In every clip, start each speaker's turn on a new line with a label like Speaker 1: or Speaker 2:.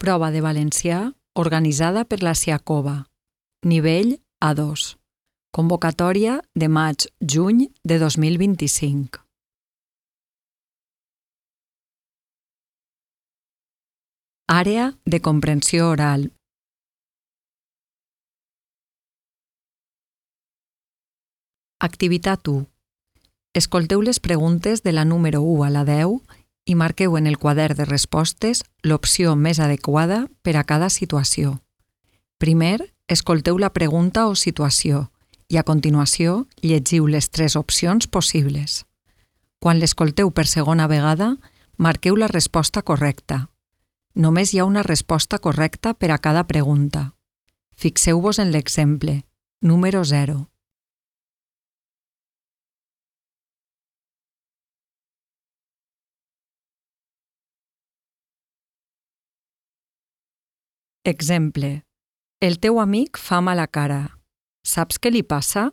Speaker 1: Prova de valencià organitzada per la Siacova. Nivell A2. Convocatòria de maig-juny de 2025. Àrea de comprensió oral. Activitat 1. Escolteu les preguntes de la número 1 a la 10 i marqueu en el quadern de respostes l'opció més adequada per a cada situació. Primer, escolteu la pregunta o situació i a continuació llegiu les 3 opcions possibles. Quan l'escolteu per segona vegada, marqueu la resposta correcta. Només hi ha una resposta correcta per a cada pregunta. Fixeu-vos en l'exemple, número 0. Exemple. El teu amic fa mala cara. Saps què li passa?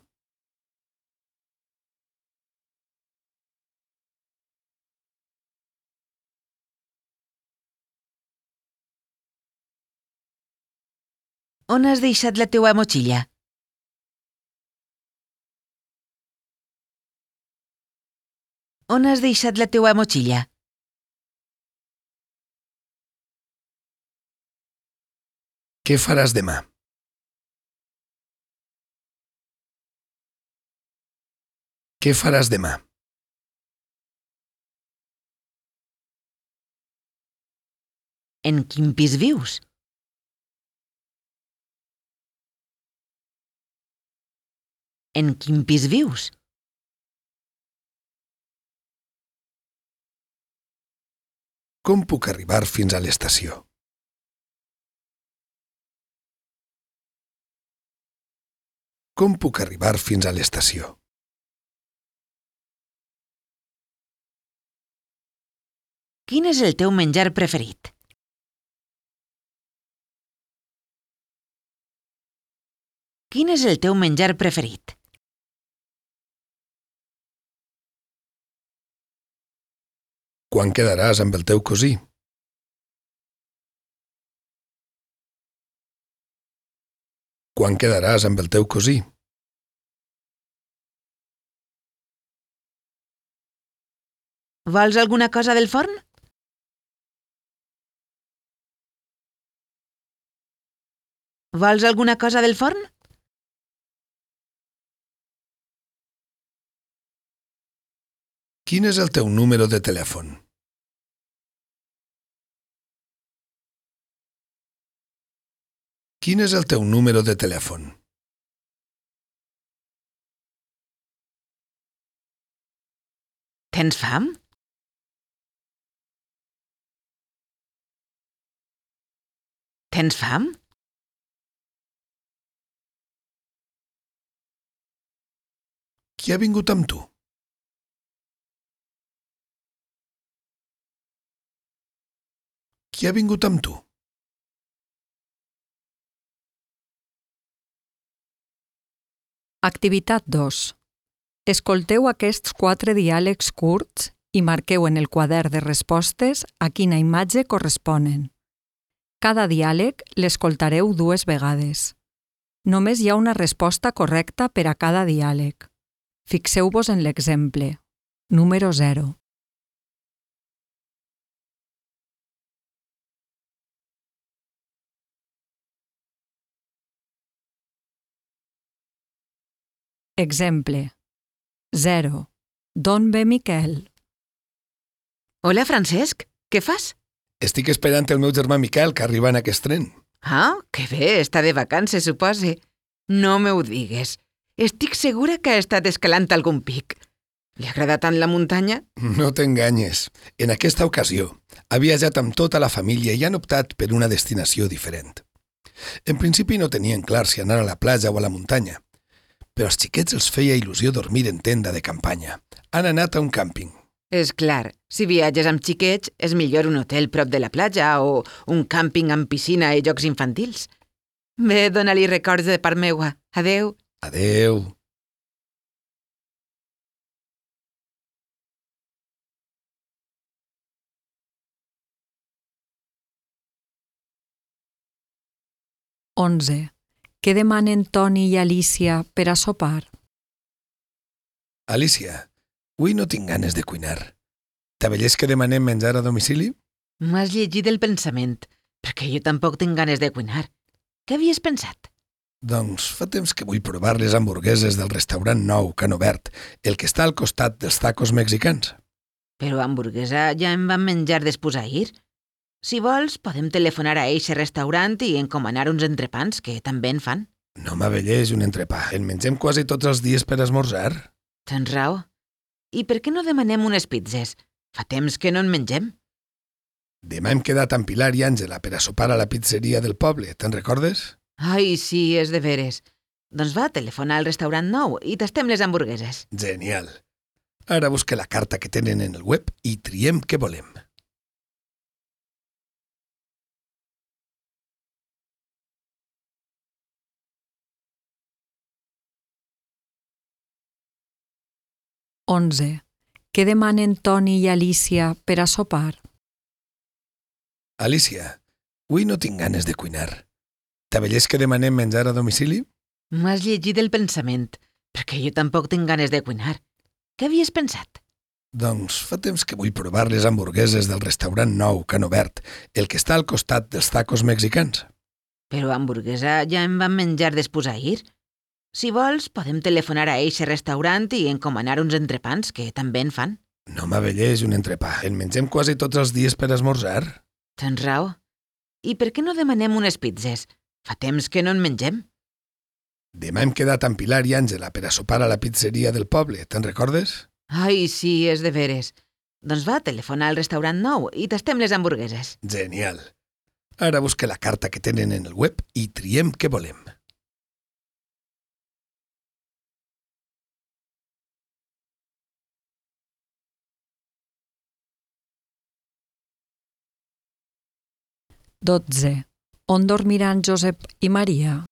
Speaker 2: On has deixat la teua motxilla? On has deixat la teua motxilla?
Speaker 3: Què faràs demà? Què faràs demà?
Speaker 2: En quin pis vius? En quin pis vius?
Speaker 3: Com puc arribar fins a l'estació? Com puc arribar fins a l'estació?
Speaker 2: Quin és el teu menjar preferit? Quin és el teu menjar preferit?
Speaker 3: Quan quedaràs amb el teu cosí? Quan quedaràs amb el teu cosí?
Speaker 2: Vols alguna cosa del forn? Vols alguna cosa del forn?
Speaker 3: Quin és el teu número de telèfon? Quin és el teu número de telèfon?
Speaker 2: Tens fam? Tens fam?
Speaker 3: Qui ha vingut amb tu? Qui ha vingut amb tu?
Speaker 1: Activitat 2. Escolteu aquests 4 diàlegs curts i marqueu en el quadern de respostes a quina imatge corresponen. Cada diàleg l'escoltareu 2 vegades. Només hi ha una resposta correcta per a cada diàleg. Fixeu-vos en l'exemple, número 0. Exemple. 0. D'on ve Miquel?
Speaker 2: Hola, Francesc. Què fas?
Speaker 3: Estic esperant el meu germà Miquel, que arriba en aquest tren.
Speaker 2: Ah, que bé, està de vacances, supose. No me ho digues. Estic segura que ha estat escalant algun pic. Li agrada tant la muntanya?
Speaker 3: No t'enganyes. En aquesta ocasió, ha viatjat amb tota la família i han optat per una destinació diferent. En principi no tenien clar si anar a la platja o a la muntanya, però als xiquets els feia il·lusió dormir en tenda de campanya. Han anat a un càmping.
Speaker 2: És clar, si viatges amb xiquets, és millor un hotel prop de la platja o un càmping amb piscina i jocs infantils. Bé, dona-li records de part meua. Adeu.
Speaker 3: Adeu.
Speaker 1: 11. Què demanen Toni i Alicia per a sopar?
Speaker 3: Alicia, avui no tinc ganes de cuinar. T'avellés que demanem menjar a domicili?
Speaker 2: M'has llegit el pensament, perquè jo tampoc tinc ganes de cuinar. Què havies pensat?
Speaker 3: Doncs fa temps que vull provar les hamburgueses del restaurant nou que han obert, el que està al costat dels tacos mexicans.
Speaker 2: Però hamburguesa ja en vam menjar després ahir. Si vols, podem telefonar a eixe restaurant i encomanar uns entrepans, que també en fan.
Speaker 3: No m'avelleix un entrepà. En mengem quasi tots els dies per esmorzar.
Speaker 2: Tens raó. I per què no demanem unes pizzas? Fa temps que no en mengem.
Speaker 3: Demà hem quedat amb Pilar i Àngela per a sopar a la pizzeria del poble, te'n recordes?
Speaker 2: Ai, sí, és de veres. Doncs va, telefona al restaurant nou i tastem les hamburgueses.
Speaker 3: Genial. Ara busca la carta que tenen en el web i triem què volem.
Speaker 1: Onze. Què demanen Toni i Alicia per a sopar?
Speaker 3: Alicia, avui no tinc ganes de cuinar. T'avellés que demanem menjar a domicili?
Speaker 2: M'has llegit el pensament, perquè jo tampoc tinc ganes de cuinar. Què havies pensat?
Speaker 3: Doncs fa temps que vull provar les hamburgueses del restaurant nou que han obert, el que està al costat dels tacos mexicans.
Speaker 2: Però hamburguesa ja en vam menjar després ahir. Si vols, podem telefonar a eixe restaurant i encomanar uns entrepans, que també en fan.
Speaker 3: No m'avelleix un entrepà. En mengem quasi tots els dies per esmorzar.
Speaker 2: Tens raó. I per què no demanem unes pizzas? Fa temps que no en mengem.
Speaker 3: Demà hem quedat amb Pilar i Àngela per a sopar a la pizzeria del poble, te'n recordes?
Speaker 2: Ai, sí, és de veres. Doncs va, telefona al restaurant nou i tastem les hamburgueses.
Speaker 3: Genial. Ara busca la carta que tenen en el web i triem què volem.
Speaker 1: Dotze. On dormiran Josep i Maria?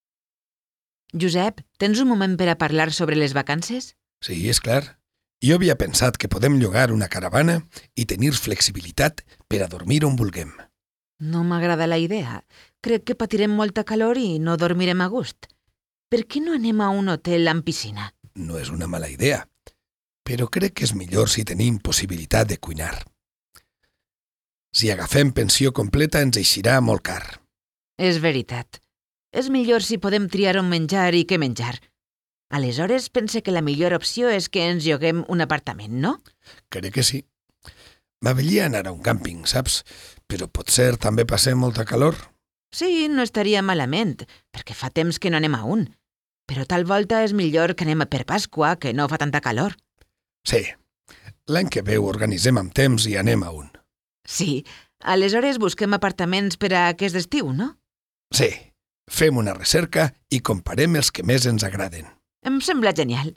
Speaker 2: Josep, tens un moment per a parlar sobre les vacances?
Speaker 3: Sí, és clar. Jo havia pensat que podem llogar una caravana i tenir flexibilitat per a dormir on vulguem.
Speaker 2: No m'agrada la idea. Crec que patirem molta calor i no dormirem a gust. Per què no anem a un hotel amb piscina?
Speaker 3: No és una mala idea, però crec que és millor si tenim possibilitat de cuinar. Si agafem pensió completa ens eixirà molt car.
Speaker 2: És veritat. És millor si podem triar on menjar i què menjar. Aleshores, pense que la millor opció és que ens lloguem un apartament, no?
Speaker 3: Crec que sí. M'avellia anar a un càmping, saps? Però potser també passem molta calor.
Speaker 2: Sí, no estaria malament, perquè fa temps que no anem a un. Però tal volta és millor que anem per Pasqua, que no fa tanta calor.
Speaker 3: Sí. L'any que ve ho organitzem amb temps i anem a un.
Speaker 2: Sí, aleshores busquem apartaments per a aquest estiu, no?
Speaker 3: Sí. Fem una recerca i comparem els que més ens agraden.
Speaker 2: Em sembla genial.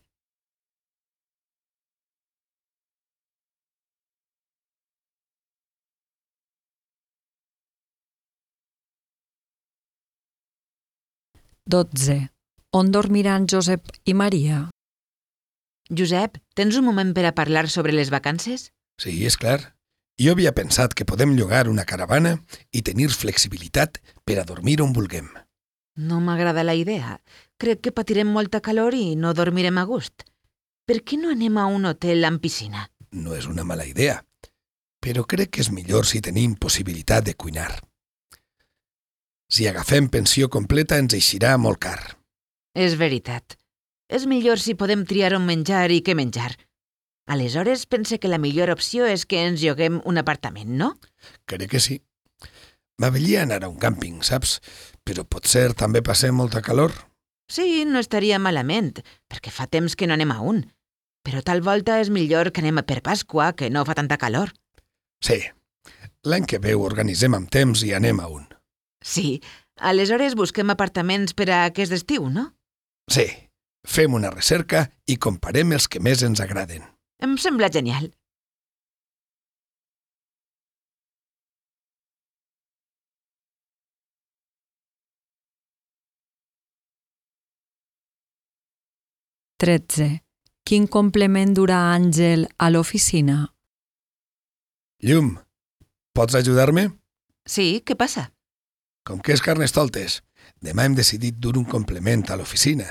Speaker 1: Dotze. On dormiran Josep i Maria?
Speaker 2: Josep, tens un moment per a parlar sobre les vacances?
Speaker 3: Sí, és clar. Jo havia pensat que podem llogar una caravana i tenir flexibilitat per a dormir on vulguem.
Speaker 2: No m'agrada la idea. Crec que patirem molta calor i no dormirem a gust. Per què no anem a un hotel amb piscina?
Speaker 3: No és una mala idea, però crec que és millor si tenim possibilitat de cuinar. Si agafem pensió completa ens eixirà molt car.
Speaker 2: És veritat. És millor si podem triar on menjar i què menjar. Aleshores, pense que la millor opció és que ens lloguem un apartament, no?
Speaker 3: Crec que sí. M'avellia anar a un càmping, saps? Però potser també passem molta calor.
Speaker 2: Sí, no estaria malament, perquè fa temps que no anem a un. Però tal volta és millor que anem per Pasqua, que no fa tanta calor.
Speaker 3: Sí. L'any que ve ho organitzem amb temps i anem a un.
Speaker 2: Sí, aleshores busquem apartaments per a aquest estiu, no?
Speaker 3: Sí. Fem una recerca i comparem els que més ens agraden.
Speaker 2: Em sembla genial.
Speaker 1: Tretze. Quin complement durà Àngel a l'oficina?
Speaker 3: Llum, pots ajudar-me?
Speaker 2: Sí, què passa?
Speaker 3: Com que és Carnestoltes Demà hem decidit dur un complement a l'oficina,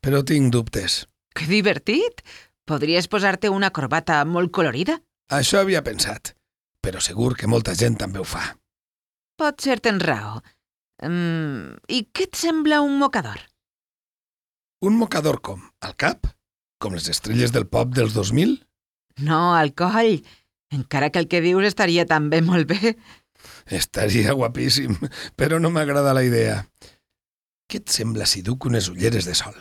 Speaker 3: però tinc dubtes.
Speaker 2: Que divertit! Podries posar-te una corbata molt colorida?
Speaker 3: Això havia pensat, però segur que molta gent també ho fa.
Speaker 2: Potser tens raó. I què et sembla un mocador?
Speaker 3: Un mocador com? Al cap? Com les estrelles del pop dels 2000?
Speaker 2: No, al coll. Encara que el que dius estaria també molt bé.
Speaker 3: Estaria guapíssim, però no m'agrada la idea. Què et sembla si duc unes ulleres de sol?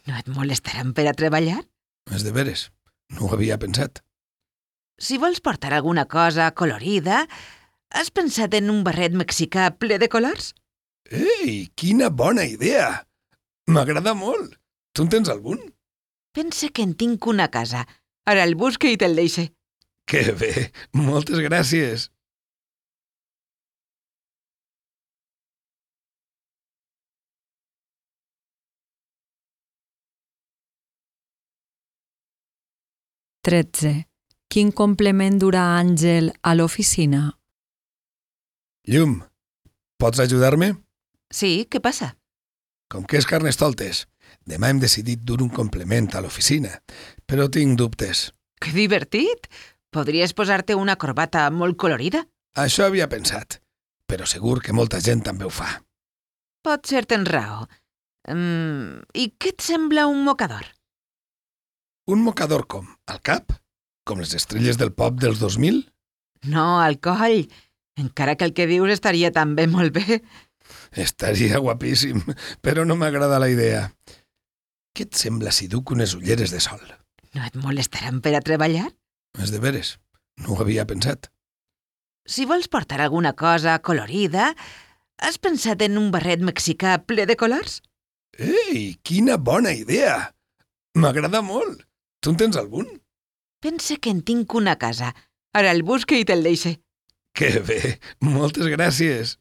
Speaker 2: No et molestaran per a treballar?
Speaker 3: És de veres, no ho havia pensat.
Speaker 2: Si vols portar alguna cosa colorida, has pensat en un barret mexicà ple de colors?
Speaker 3: Ei, quina bona idea! M'agrada molt. Tu en tens algun?
Speaker 2: Pensa que en tinc una a casa. Ara el busque i te'l deixe.
Speaker 3: Que bé, moltes gràcies.
Speaker 1: Quin complement durà Àngel a l'oficina?
Speaker 3: Llum, pots ajudar-me?
Speaker 2: Sí, què passa?
Speaker 3: Com que és Carnestoltes, demà hem decidit dur un complement a l'oficina, però tinc dubtes.
Speaker 2: Que divertit! Podries posar-te una corbata molt colorida?
Speaker 3: Això havia pensat, però segur que molta gent també ho fa.
Speaker 2: Potser tens raó. I què et sembla un mocador?
Speaker 3: Un mocador com? Al cap? Com les estrelles del pop dels 2000?
Speaker 2: No, al coll. Encara que el que dius estaria també molt bé.
Speaker 3: Estaria guapíssim, però no m'agrada la idea. Què et sembla si duc unes ulleres de sol?
Speaker 2: No et molestaran per a treballar?
Speaker 3: És de veres, no ho havia pensat.
Speaker 2: Si vols portar alguna cosa colorida, has pensat en un barret mexicà ple de colors?
Speaker 3: Ei, quina bona idea! M'agrada molt. Tu en tens algun?
Speaker 2: Pensa que en tinc una a casa. Ara el busque i te'l deixe.
Speaker 3: Que bé, moltes gràcies.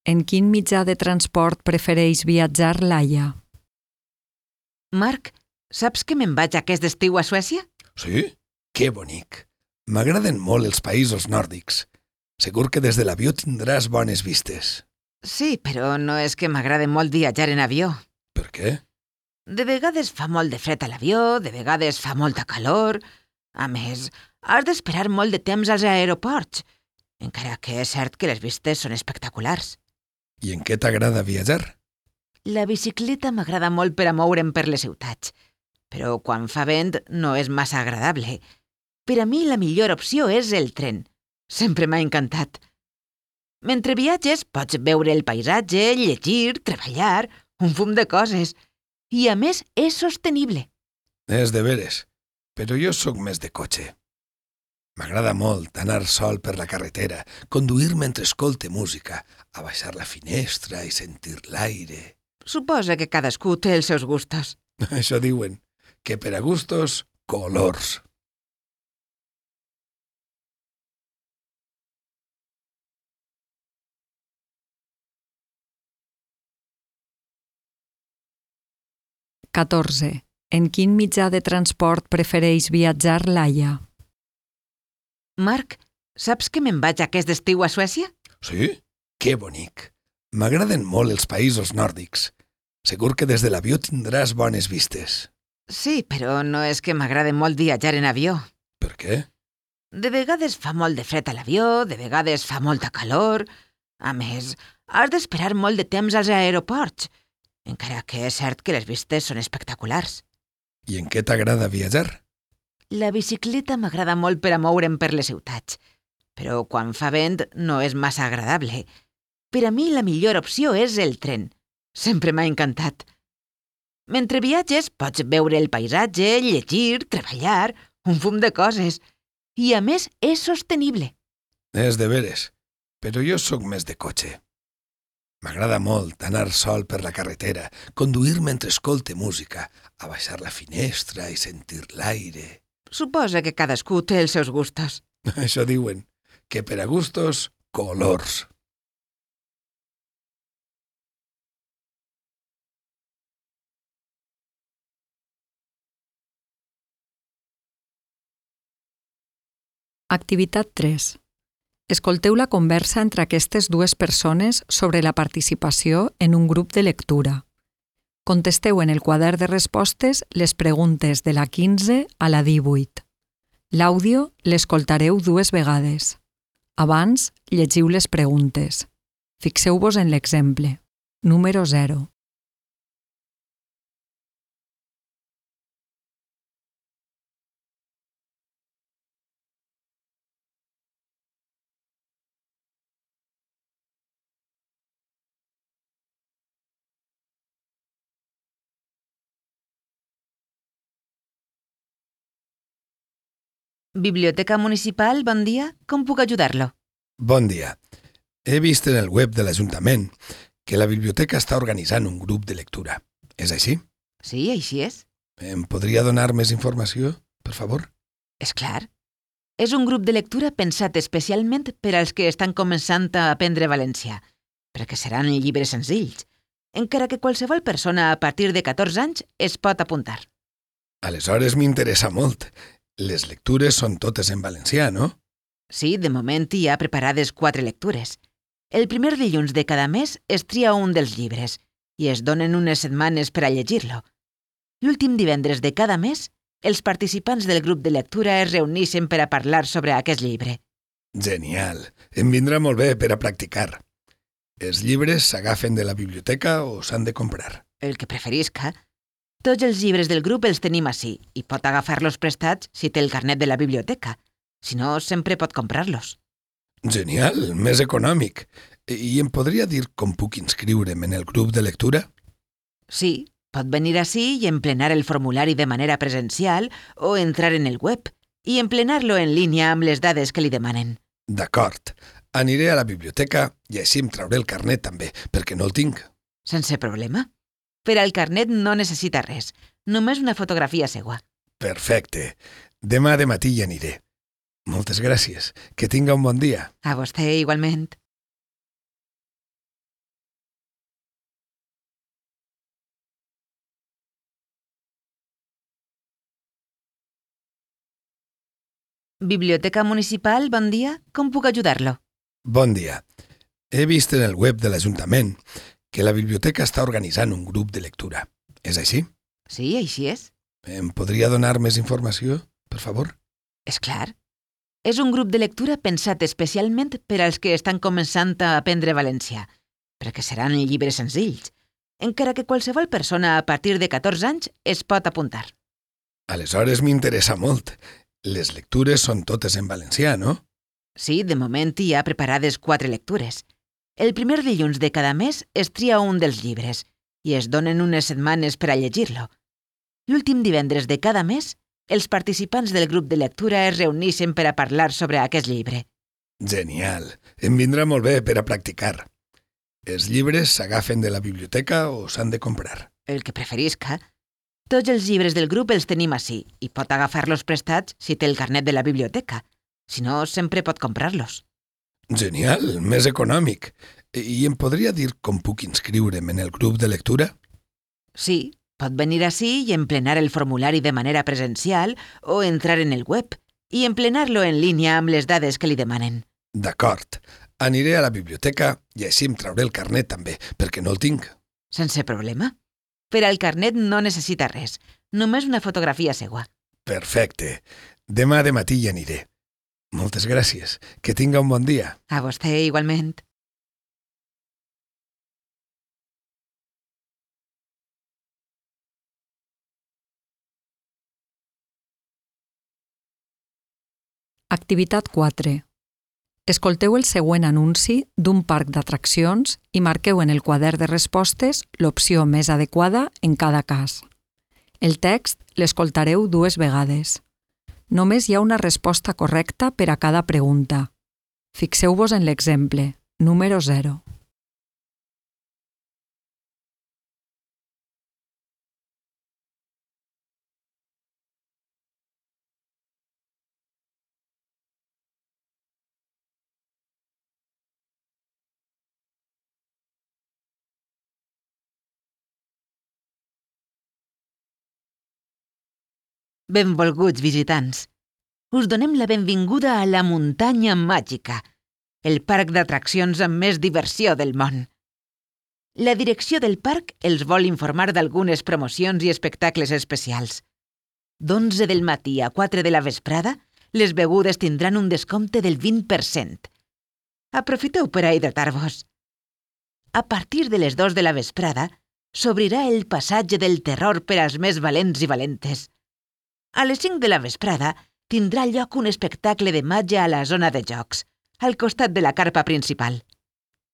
Speaker 1: En quin mitjà de transport prefereix viatjar Laia?
Speaker 2: Marc, saps que me'n vaig aquest estiu a Suècia?
Speaker 3: Sí? Que bonic. M'agraden molt els països nòrdics. Segur que des de l'avió tindràs bones vistes.
Speaker 2: Sí, però no és que m'agrada molt viatjar en avió.
Speaker 3: Per què?
Speaker 2: De vegades fa molt de fred a l'avió, de vegades fa molta calor. A més, has d'esperar molt de temps als aeroports, encara que és cert que les vistes són espectaculars.
Speaker 3: I en què t'agrada viatjar?
Speaker 2: La bicicleta m'agrada molt per a moure'm per les ciutats, però quan fa vent no és massa agradable. Per a mi la millor opció és el tren. Sempre m'ha encantat. Mentre viatges pots veure el paisatge, llegir, treballar, un fum de coses. I a més és sostenible.
Speaker 3: És de veres, però jo sóc més de cotxe. M'agrada molt anar sol per la carretera, conduir mentre escolte música, abaixar la finestra i sentir l'aire.
Speaker 2: Suposa que cadascú té els seus gustos.
Speaker 3: Això diuen, que per a gustos, colors.
Speaker 1: En quin mitjà de transport prefereix viatjar Laia?
Speaker 2: Marc, saps que me'n vaig aquest estiu a Suècia?
Speaker 3: Sí? Que bonic. M'agraden molt els països nòrdics. Segur que des de l'avió tindràs bones vistes.
Speaker 2: Sí, però no és que m'agrada molt viatjar en avió.
Speaker 3: Per què?
Speaker 2: De vegades fa molt de fred a l'avió, de vegades fa molta calor. A més, has d'esperar molt de temps als aeroports, encara que és cert que les vistes són espectaculars.
Speaker 3: I en què t'agrada viatjar?
Speaker 2: La bicicleta m'agrada molt per a moure'm per les ciutats, però quan fa vent no és massa agradable. Per a mi la millor opció és el tren. Sempre m'ha encantat. Mentre viatges pots veure el paisatge, llegir, treballar, un fum de coses. I a més és sostenible.
Speaker 3: És de veres, però jo sóc més de cotxe. M'agrada molt anar sol per la carretera, conduir mentre escolte música, abaixar la finestra i sentir l'aire.
Speaker 2: Suposa que cadascú té els seus gustos.
Speaker 3: Això diuen, que per a gustos, colors.
Speaker 1: Activitat 3. Escolteu la conversa entre aquestes dues persones sobre la participació en un grup de lectura. Contesteu en el quadern de respostes les preguntes de la 15 a la 18. L'àudio l'escoltareu 2 vegades. Abans, llegiu les preguntes. Fixeu-vos en l'exemple. Número 0.
Speaker 2: Biblioteca municipal, bon dia. Com puc ajudar-lo?
Speaker 3: Bon dia. He vist en el web de l'Ajuntament que la biblioteca està organitzant un grup de lectura. És així?
Speaker 2: Sí, així és.
Speaker 3: Em podria donar més informació, per favor?
Speaker 2: És clar. És un grup de lectura pensat especialment per als que estan començant a aprendre valencià, perquè seran llibres senzills, encara que qualsevol persona a partir de 14 anys es pot apuntar.
Speaker 3: Aleshores m'interessa molt. Les lectures són totes en valencià, no?
Speaker 2: Sí, de moment hi ha preparades 4 lectures. El primer dilluns de cada mes es tria un dels llibres i es donen unes setmanes per a llegir-lo. L'últim divendres de cada mes, els participants del grup de lectura es reuneixen per a parlar sobre aquest llibre.
Speaker 3: Genial. Em vindrà molt bé per a practicar. Els llibres s'agafen de la biblioteca o s'han de comprar?
Speaker 2: El que preferisca. Tots els llibres del grup els tenim ací i pot agafar-los prestats si té el carnet de la biblioteca. Si no, sempre pot comprar-los.
Speaker 3: Genial, més econòmic. I em podria dir com puc inscriure'm en el grup de lectura?
Speaker 2: Sí, pot venir ací i emplenar el formulari de manera presencial o entrar en el web i emplenar-lo en línia amb les dades que li demanen.
Speaker 3: D'acord. Aniré a la biblioteca i així em trauré el carnet també, perquè no el tinc.
Speaker 2: Sense problema. Per al carnet no necessita res, només una fotografia seua.
Speaker 3: Perfecte. Demà de matí hi aniré. Moltes gràcies. Que tinga un bon dia.
Speaker 2: A vostè igualment. Biblioteca municipal, bon dia. Com puc ajudar-lo?
Speaker 3: Bon dia. He vist en el web de l'Ajuntament que la biblioteca està organitzant un grup de lectura. És així?
Speaker 2: Sí, així és.
Speaker 3: Em podria donar més informació, per favor?
Speaker 2: És clar. És un grup de lectura pensat especialment per als que estan començant a aprendre valencià, perquè seran llibres senzills, encara que qualsevol persona a partir de 14 anys es pot apuntar.
Speaker 3: Aleshores m'interessa molt. Les lectures són totes en valencià, no?
Speaker 2: Sí, de moment hi ha preparades 4 lectures. El primer dilluns de cada mes es tria un dels llibres i es donen unes setmanes per a llegir-lo. L'últim divendres de cada mes, els participants del grup de lectura es reuneixen per a parlar sobre aquest llibre.
Speaker 3: Genial. Em vindrà molt bé per a practicar. Els llibres s'agafen de la biblioteca o s'han de comprar?
Speaker 2: El que preferisca. Tots els llibres del grup els tenim ací i pot agafar-los prestats si té el carnet de la biblioteca. Si no, sempre pot comprar-los.
Speaker 3: Genial, més econòmic. I em podria dir com puc inscriure'm en el grup de lectura?
Speaker 2: Sí, pot venir ací i emplenar el formulari de manera presencial o entrar en el web i emplenar-lo en línia amb les dades que li demanen.
Speaker 3: D'acord. Aniré a la biblioteca i així em trauré el carnet també, perquè no el tinc.
Speaker 2: Sense problema. Per al carnet no necessita res, només una fotografia seua.
Speaker 3: Perfecte. Demà de matí hi aniré. Moltes gràcies. Que tinga un bon dia.
Speaker 2: A vostè igualment.
Speaker 1: Activitat 4. Escolteu el següent anunci d'un parc d'atraccions i marqueu en el quadern de respostes l'opció més adequada en cada cas. El text l'escoltareu 2 vegades. Només hi ha una resposta correcta per a cada pregunta. Fixeu-vos en l'exemple. Número 0.
Speaker 2: Benvolguts visitants. us donem la benvinguda a la Muntanya Màgica, el parc d'atraccions amb més diversió del món. La direcció del parc els vol informar d'algunes promocions i espectacles especials. D'11 del matí a 4 de la vesprada, les begudes tindran un descompte del 20%. Aprofiteu per a hidratar-vos. A partir de les 2 de la vesprada, s'obrirà el passatge del terror per als més valents i valentes. A les 5 de la vesprada tindrà lloc un espectacle de màgia a la zona de jocs, al costat de la carpa principal.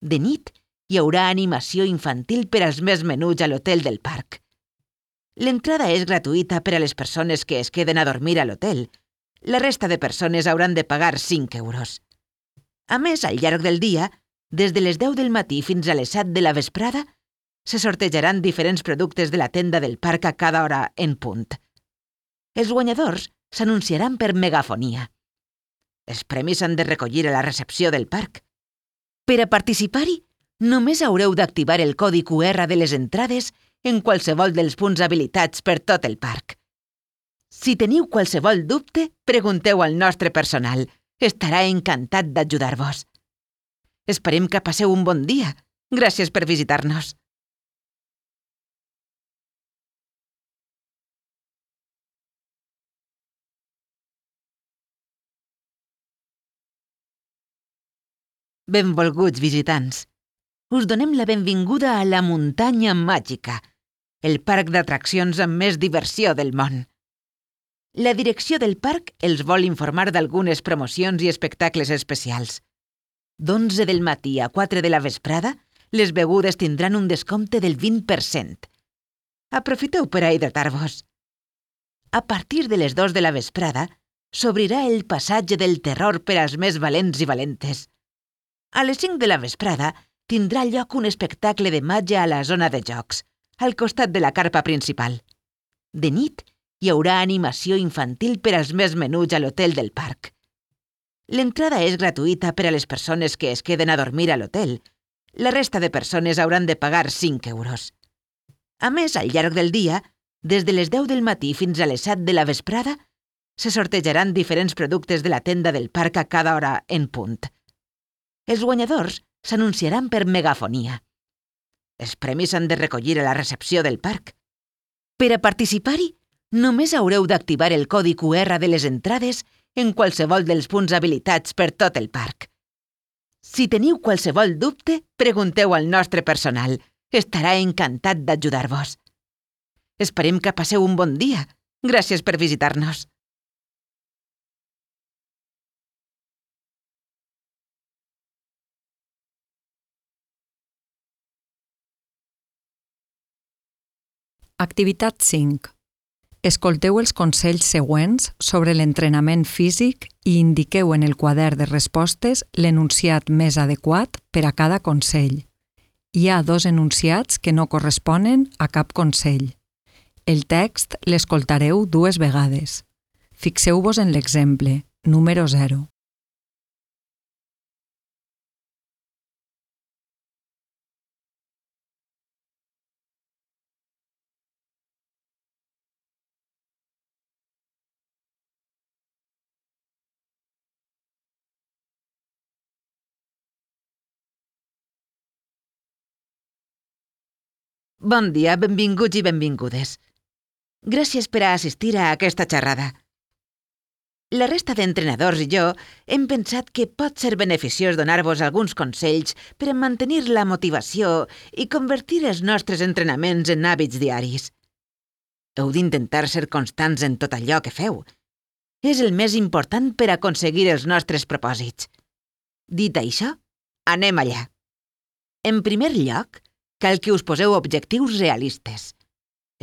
Speaker 2: De nit, hi haurà animació infantil per als més menuts a l'hotel del parc. L'entrada és gratuïta per a les persones que es queden a dormir a l'hotel. La resta de persones hauran de pagar 5 euros. A més, al llarg del dia, des de les 10 del matí fins a les 7 de la vesprada, se sortejaran diferents productes de la tenda del parc a cada hora en punt. Els guanyadors s'anunciaran per megafonia. Els premis s'han de recollir a la recepció del parc. Per a participar-hi, només haureu d'activar el codi QR de les entrades en qualsevol dels punts habilitats per tot el parc. Si teniu qualsevol dubte, pregunteu al nostre personal. Estarà encantat d'ajudar-vos. Esperem que passeu un bon dia. Gràcies per visitar-nos. Benvolguts visitants. Us donem la benvinguda a la Muntanya Màgica, el parc d'atraccions amb més diversió del món. La direcció del parc els vol informar d'algunes promocions i espectacles especials. D'11 del matí a 4 de la vesprada, les begudes tindran un descompte del 20%. Aprofiteu per a hidratar-vos. A partir de les 2 de la vesprada, s'obrirà el passatge del terror per als més valents i valentes. A les 5 de la vesprada tindrà lloc un espectacle de màgia a la zona de jocs, al costat de la carpa principal. De nit, hi haurà animació infantil per als més menuts a l'hotel del parc. L'entrada és gratuïta per a les persones que es queden a dormir a l'hotel. La resta de persones hauran de pagar 5 euros. A més, al llarg del dia, des de les 10 del matí fins a les 7 de la vesprada, se sortejaran diferents productes de la tenda del parc a cada hora en punt. Els guanyadors s'anunciaran per megafonia. Els premis s'han de recollir a la recepció del parc. Per a participar-hi, només haureu d'activar el codi QR de les entrades en qualsevol dels punts habilitats per tot el parc. Si teniu qualsevol dubte, pregunteu al nostre personal. Estarà encantat d'ajudar-vos. Esperem que passeu un bon dia. Gràcies per visitar-nos.
Speaker 1: Activitat 5. Escolteu els consells següents sobre l'entrenament físic i indiqueu en el quadern de respostes l'enunciat més adequat per a cada consell. Hi ha 2 enunciats que no corresponen a cap consell. El text l'escoltareu 2 vegades. Fixeu-vos en l'exemple, número 0.
Speaker 2: Bon dia, benvinguts i benvingudes. Gràcies per a assistir a aquesta xerrada. La resta d'entrenadors i jo hem pensat que pot ser beneficiós donar-vos alguns consells per a mantenir la motivació i convertir els nostres entrenaments en hàbits diaris. Heu d'intentar ser constants en tot allò que feu. És el més important per aconseguir els nostres propòsits. Dit això, anem allà. En primer lloc, cal que us poseu objectius realistes.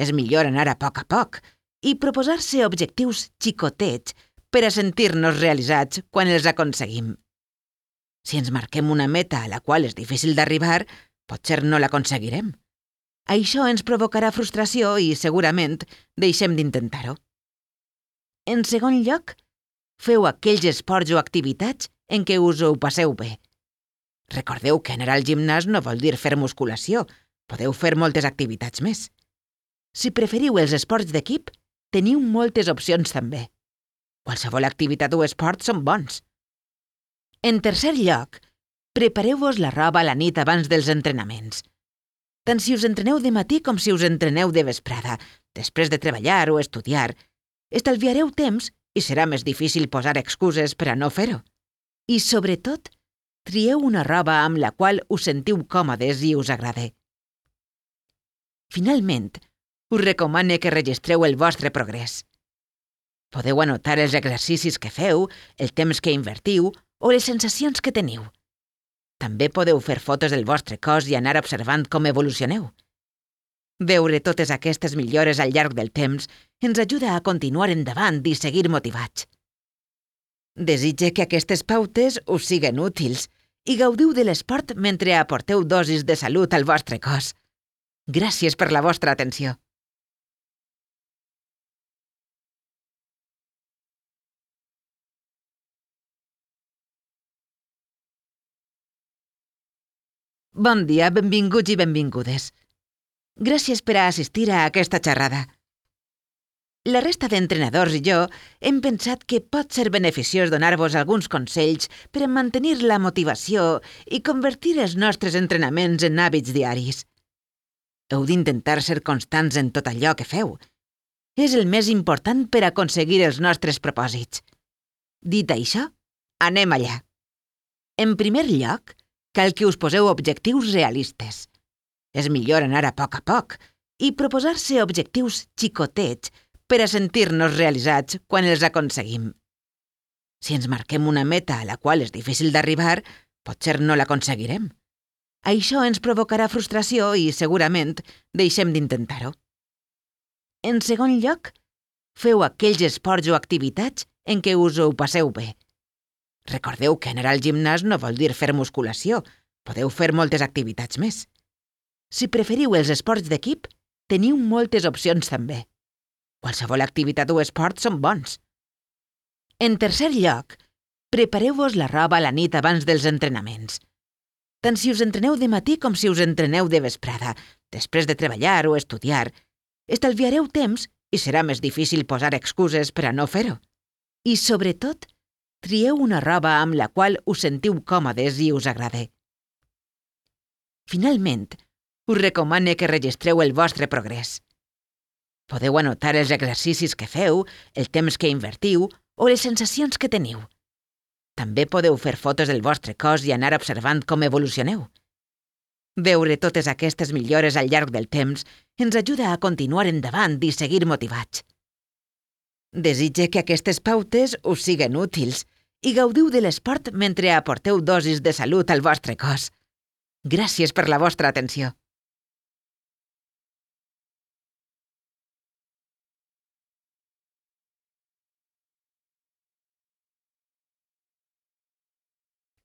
Speaker 2: És millor anar a poc i proposar-se objectius xicotets per a sentir-nos realitzats quan els aconseguim. Si ens marquem una meta a la qual és difícil d'arribar, potser no l'aconseguirem. Això ens provocarà frustració i, segurament, deixem d'intentar-ho. En segon lloc, feu aquells esports o activitats en què us ho passeu bé. Recordeu que anar al gimnàs no vol dir fer musculació. Podeu fer moltes activitats més. Si preferiu els esports d'equip, teniu moltes opcions també. Qualsevol activitat o esport són bons. En tercer lloc, prepareu-vos la roba a la nit abans dels entrenaments. Tant si us entreneu de matí com si us entreneu de vesprada, després de treballar o estudiar, estalviareu temps i serà més difícil posar excuses per a no fer-ho. I, sobretot, trieu una roba amb la qual us sentiu còmodes i us agrade. Finalment, us recomano que registreu el vostre progrés. Podeu anotar els exercicis que feu, el temps que invertiu o les sensacions que teniu. També podeu fer fotos del vostre cos i anar observant com evolucioneu. Veure totes aquestes millores al llarg del temps ens ajuda a continuar endavant i seguir motivats. Desitge que aquestes pautes us siguen útils i gaudiu de l'esport mentre aporteu dosis de salut al vostre cos. Gràcies per la vostra atenció. Bon dia, benvinguts i benvingudes. Gràcies per a assistir a aquesta xerrada. La resta d'entrenadors i jo hem pensat que pot ser beneficiós donar-vos alguns consells per a mantenir la motivació i convertir els nostres entrenaments en hàbits diaris. Heu d'intentar ser constants en tot allò que feu. És el més important per aconseguir els nostres propòsits. Dit això, anem allà. En primer lloc, cal que us poseu objectius realistes. És millor anar a poc i proposar-se objectius xicotets per a sentir-nos realitzats quan els aconseguim. Si ens marquem una meta a la qual és difícil d'arribar, potser no l'aconseguirem. Això ens provocarà frustració i, segurament, deixem d'intentar-ho. En segon lloc, feu aquells esports o activitats en què us ho passeu bé. Recordeu que anar al gimnàs no vol dir fer musculació, podeu fer moltes activitats més. Si preferiu els esports d'equip, teniu moltes opcions també. Qualsevol activitat o esport són bons. En tercer lloc, prepareu-vos la roba a la nit abans dels entrenaments. Tant si us entreneu de matí com si us entreneu de vesprada, després de treballar o estudiar, estalviareu temps i serà més difícil posar excuses per a no fer-ho. I, sobretot, trieu una roba amb la qual us sentiu còmodes i us agrade. Finalment, us recomano que registreu el vostre progrés. Podeu anotar els exercicis que feu, el temps que invertiu o les sensacions que teniu. També podeu fer fotos del vostre cos i anar observant com evolucioneu. Veure totes aquestes millores al llarg del temps ens ajuda a continuar endavant i seguir motivats. Desitge que aquestes pautes us siguen útils i gaudiu de l'esport mentre aporteu dosis de salut al vostre cos. Gràcies per la vostra atenció.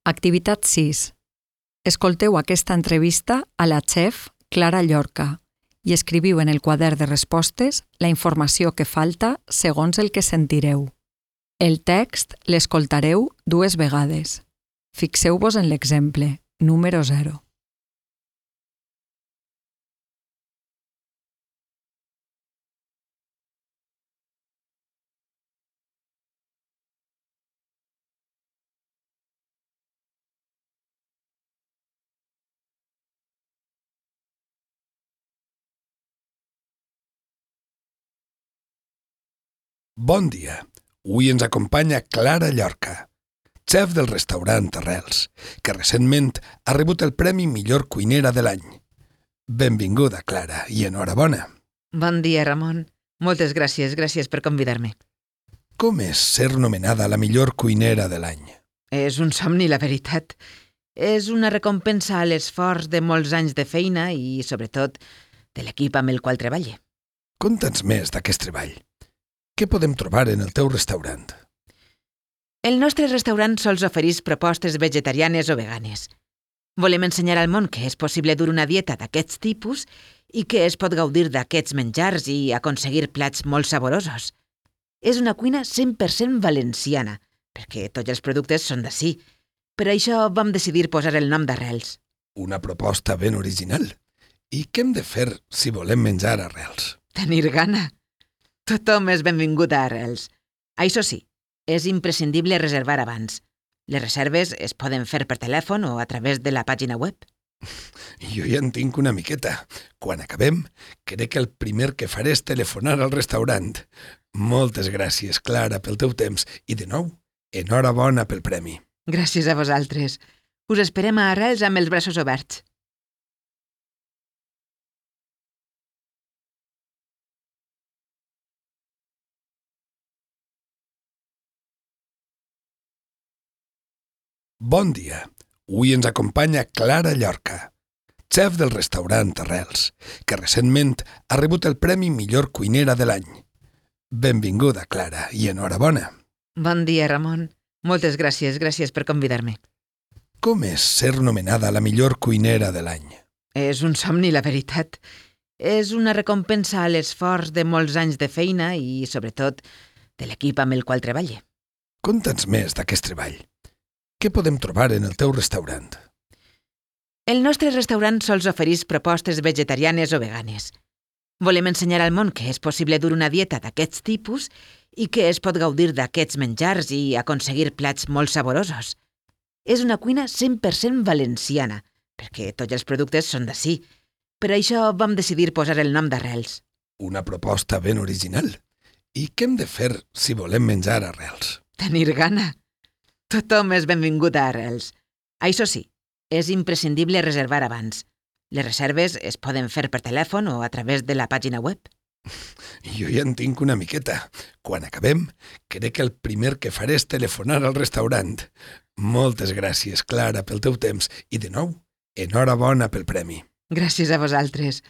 Speaker 1: Activitat 6. Escolteu aquesta entrevista a la xef Clara Llorca i escriviu en el quadern de respostes la informació que falta segons el que sentireu. El text l'escoltareu 2 vegades. Fixeu-vos en l'exemple, número 0.
Speaker 3: Bon dia. Avui ens acompanya Clara Llorca, xef del restaurant Arrels, que recentment ha rebut el Premi Millor Cuinera de l'any. Benvinguda, Clara, i enhorabona.
Speaker 2: Bon dia, Ramon. Moltes gràcies per convidar-me.
Speaker 3: Com és ser nomenada la millor cuinera de l'any?
Speaker 2: És un somni, la veritat. És una recompensa a l'esforç de molts anys de feina i, sobretot, de l'equip amb el qual treballe.
Speaker 3: Conta'ns més d'aquest treball. Què podem trobar en el teu restaurant?
Speaker 2: El nostre restaurant sols ofereix propostes vegetarianes o veganes. Volem ensenyar al món que és possible dur una dieta d'aquests tipus i que es pot gaudir d'aquests menjars i aconseguir plats molt saborosos. És una cuina 100% valenciana, perquè tots els productes són d'ací. Per això vam decidir posar el nom d'Arrels.
Speaker 3: Una proposta ben original. I què hem de fer si volem menjar arrels?
Speaker 2: Tenir gana. Tothom és benvingut a Arrels. Això sí, és imprescindible reservar abans. Les reserves es poden fer per telèfon o a través de la pàgina web.
Speaker 3: Jo ja en tinc una miqueta. Quan acabem, crec que el primer que faré és telefonar al restaurant. Moltes gràcies, Clara, pel teu temps i, de nou, enhorabona pel premi.
Speaker 2: Gràcies a vosaltres. Us esperem a Arrels amb els braços oberts.
Speaker 3: Bon dia. Avui ens acompanya Clara Llorca, xef del restaurant Arrels, que recentment ha rebut el Premi Millor Cuinera de l'any. Benvinguda, Clara, i enhorabona.
Speaker 2: Bon dia, Ramon. Moltes gràcies per convidar-me.
Speaker 3: Com és ser nomenada la millor cuinera de l'any?
Speaker 2: És un somni, la veritat. És una recompensa a l'esforç de molts anys de feina i, sobretot, de l'equip amb el qual treballe.
Speaker 3: Conta'ns més d'aquest treball. Què podem trobar en el teu restaurant?
Speaker 2: El nostre restaurant sols ofereix propostes vegetarianes o veganes. Volem ensenyar al món que és possible dur una dieta d'aquests tipus i que es pot gaudir d'aquests menjars i aconseguir plats molt saborosos. És una cuina 100% valenciana, perquè tots els productes són d'ací. Per això vam decidir posar el nom d'Arrels.
Speaker 3: Una proposta ben original. I què hem de fer si volem menjar arrels?
Speaker 2: Tenir gana. Tothom és benvingut a Arrels. Això sí, és imprescindible reservar abans. Les reserves es poden fer per telèfon o a través de la pàgina web.
Speaker 3: Jo ja en tinc una miqueta. Quan acabem, crec que el primer que faré és telefonar al restaurant. Moltes gràcies, Clara, pel teu temps i, de nou, enhorabona pel premi.
Speaker 2: Gràcies a vosaltres.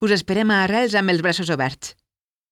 Speaker 2: Us esperem a Arrels amb els braços oberts.